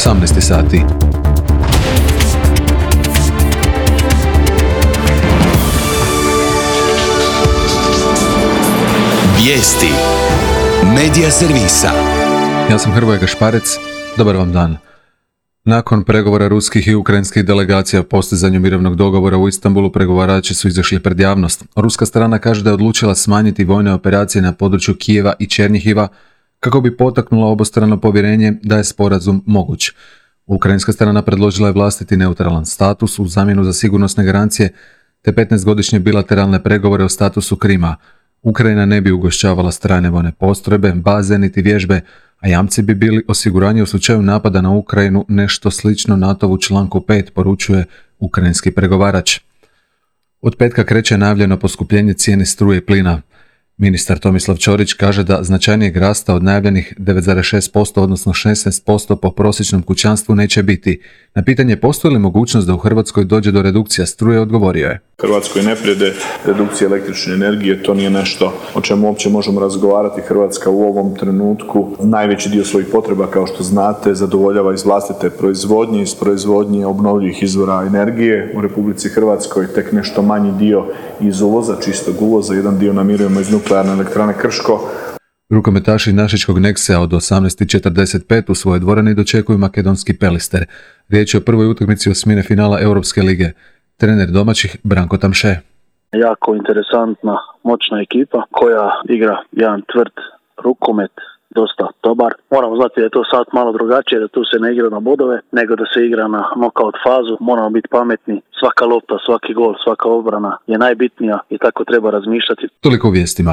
18 sati. Vijesti Medija servisa. Ja sam Hrvoje Gašparec, dobar vam dan. Nakon pregovora ruskih i ukrajinskih delegacija o postizanju mirovnog dogovora u Istanbulu, pregovarači su izašli pred javnost. Ruska strana kaže da je odlučila smanjiti vojne operacije na području Kijeva i Černjihiva kako bi potaknula obostrano povjerenje da je sporazum moguć. Ukrajinska strana predložila je vlastiti neutralan status u zamjenu za sigurnosne garancije te 15-godišnje bilateralne pregovore o statusu Krima. Ukrajina ne bi ugošćavala strane vojne postrojbe, baze niti vježbe, a jamci bi bili osiguranje u slučaju napada na Ukrajinu, nešto slično NATO-vu članku 5, poručuje ukrajinski pregovarač. Od petka kreće najavljeno poskupljenje cijene struje i plina. Ministar Tomislav Ćorić kaže da značajnijeg rasta od najavljenih 9,6%, odnosno 16% po prosječnom kućanstvu neće biti. Na pitanje postoji li mogućnost da u Hrvatskoj dođe do redukcija struje, odgovorio je: Hrvatskoj ne prijede redukcija električne energije, to nije nešto o čemu uopće možemo razgovarati. Hrvatska u ovom trenutku najveći dio svojih potreba, kao što znate, zadovoljava iz vlastite proizvodnje, iz proizvodnje obnovljivih izvora energije. U Republici Hrvatskoj tek nešto manji dio iz uvoza, čistog uvoza, jedan dio namirujemo iz nuklearne elektrane Krško. Rukometaši Našičkog Neksea od 18:45 u svojoj dvorani dočekuju makedonski Pelister. Riječ je o prvoj utakmici osmine finala Europske lige. Trener domaćih Branko Tamše. Jako interesantna, moćna ekipa koja igra jedan tvrd rukomet, dosta dobar. Moramo znati da je to sad malo drugačije, da tu se ne igra na bodove, nego da se igra na knockout fazu. Moramo biti pametni, svaka lopta, svaki gol, svaka obrana je najbitnija i tako treba razmišljati. Toliko u vijestima.